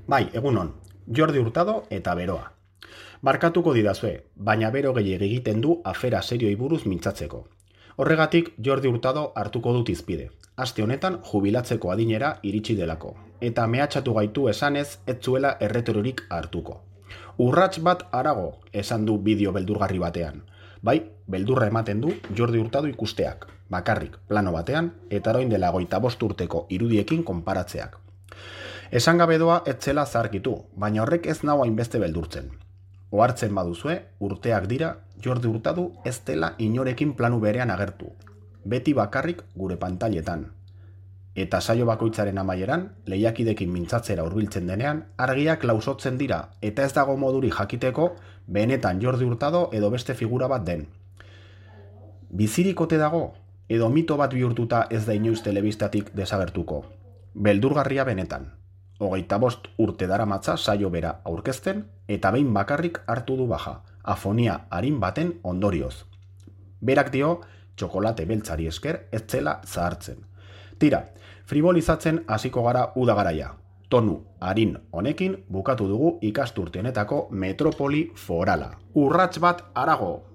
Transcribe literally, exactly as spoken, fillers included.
Bai, egunon, Jordi Hurtado eta beroa. Barkatuko didazue, baina bero gehiegi egiten du afera serioi buruz mintzatzeko. Horregatik Jordi Hurtado hartuko dut izpide. Aste honetan jubilatzeko adinera iritsi delako, eta mehatxatu gaitu esanez ez zuela erreterorik hartuko. Urrats bat harago, esan du bideo beldurgarri batean. Bai, beldurra ematen du Jordi Hurtado ikusteak, bakarrik plano batean, eta orain dela hogeita bost urteko irudiekin konparatzeak. Esan gabe doa ez zela zaharkitu, baina horrek ez nau hainbeste beldurtzen. Ohartzen baduzue, urteak dira, Jordi Hurtado ez dela inorekin planu berean agertu. Beti bakarrik gure pantailetan. Eta saio bakoitzaren amaieran, lehiakidekin mintzatzera hurbiltzen denean, argiak lausotzen dira, eta ez dago moduri jakiteko, benetan Jordi Hurtado edo beste figura bat den. Bizirikote dago, edo mito bat bihurtuta ez da inoiz telebistatik desagertuko. Beldurgarria benetan. Hogeita bost urte daramatza saio bera aurkezten eta behin bakarrik hartu du baja, afonia arin baten ondorioz. Berak dio, txokolate beltzari esker ez zela zahartzen. Tira, fribolizatzen hasiko gara udagaraia. Tonu arin honekin bukatu dugu ikasturte honetako metropoli forala. Urrats bat harago!